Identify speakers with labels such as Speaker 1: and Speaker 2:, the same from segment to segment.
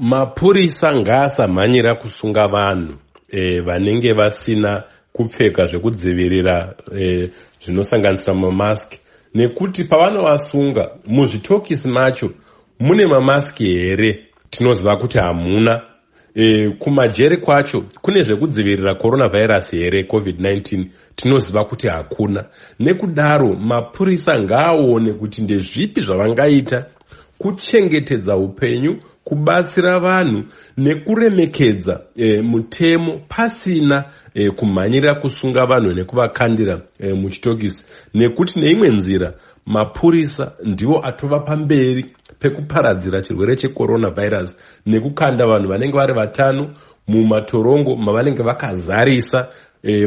Speaker 1: Mapurisa ngaasamhanyira kusunga vanhu vanenge vasina kupfeka zvekudzivirira zvinosanganisira mamaski, nekuti pavanovasunga muzvitokisi macho mune mamaski here? Tinoziva kuti hamuna. Kumajeri kwacho kune zvekudzivirira coronavirus here, COVID-19? Tinoziva kuti hakuna. Nekudaro mapurisa ngaaone kuti ndezvipi zvavangaita kuchengetedza upenyu, kubatsira vanhu nekuremekedza mutemo pasina kumhanyira kusunga vanhu nekuvakandira muchitokisi, nekuti neimwe nzira mapurisa ndiwo atova pamberi pekuparadzira chirwere checoronavirus nekukanda vanhu vanenge vari vatano mumatorongo mavanenge vakazarisa,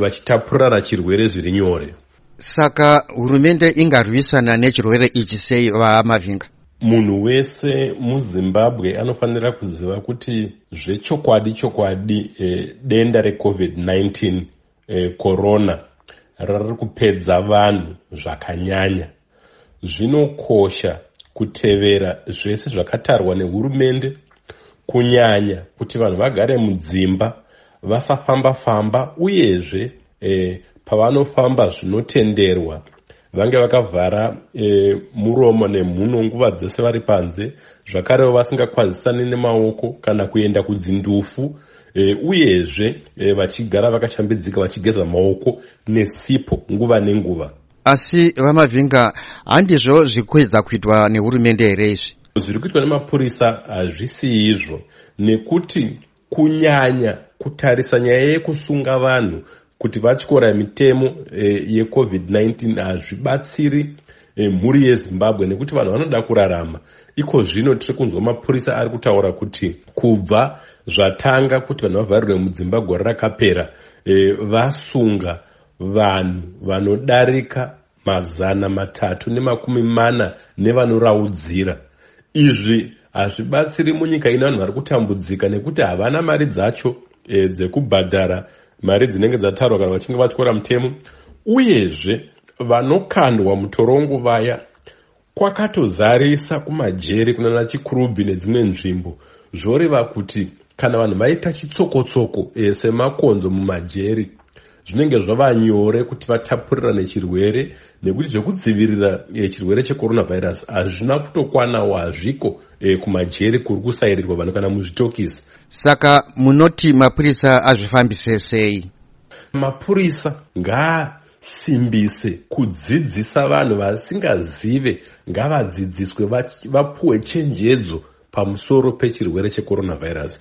Speaker 1: vachitapurana chirwere zviri nyore.
Speaker 2: Saka hurumende ingarwisana nechirwere ichi sei, VaMavhinga?
Speaker 1: Munhu wese muZimbabwe anofanira kuziva kuti zvechokwadi chokwadi denda recovid-19, corona, rari kupedza vanhu zvakanyanya. Zvinokosha kutevera zvese zvakatarwa nehurumende, kunyanya kuti vanhu vagare mudzimba, vasafamba-famba, uyezve pavanofamba zvinotenderwa vange vakavhara muromo nemhuno nguva dzese vari panze, zvakarewo vasingakwazisani nemaoko kana kuenda kudzindufu, uyezve vachigara vakashambidzika, vachigeza maoko nesipo nguva nenguva.
Speaker 2: Asi VaMavhinga, handizvo zviri kuedza kuitwa nehurumende here izvi?
Speaker 1: Zviri kuitwa nemapurisa hazvisi izvo, nekuti kunyanya kutarisa nyaya yekusunga vanhu kuti vatyora mitemo yeCOVID-19 hazvibatsiri mhuri yeZimbabwe, nekuti vanhu vanoda kurarama. Iko zvino tiri kunzwa mapurisa ari kutaura kuti kubva zvatanga kuti vanhu vavharirwe mudzimba gore rakapera, vasunga vanhu vanodarika 340 nevanoraudzira. Izvi hazvibatsiri munyika ino vanhu vari kutambudzika nekuti havana mari dzacho dzekubhadhara mari dzinenge dzatarwa kana vachinge vatyora mutemo. Uyezve vanokandwa mutorongo vaya, kwakatozarisa kumajeri kunana Chikurubhi nedzimwe nzvimbo. Zvoreva kuti kana vanhu vaita chitsokotsoko semakonzo mumajeri, zvinenge zvava nyore kuti vatapurirane chirwere, nekuti zvekudzivirira chirwere checoronavirus hazvina kutokwanawo, hazviko kumajeri kuri kusairirwa vanhu kana muzvitokisi.
Speaker 2: Saka munoti mapurisa azvifambise sei?
Speaker 1: Mapurisa ngaasimbise kudzidzisa vanhu vasingazive, ngavadzidziswe, vapuwe chenjedzo pamusoro pechirwere checoronavirus.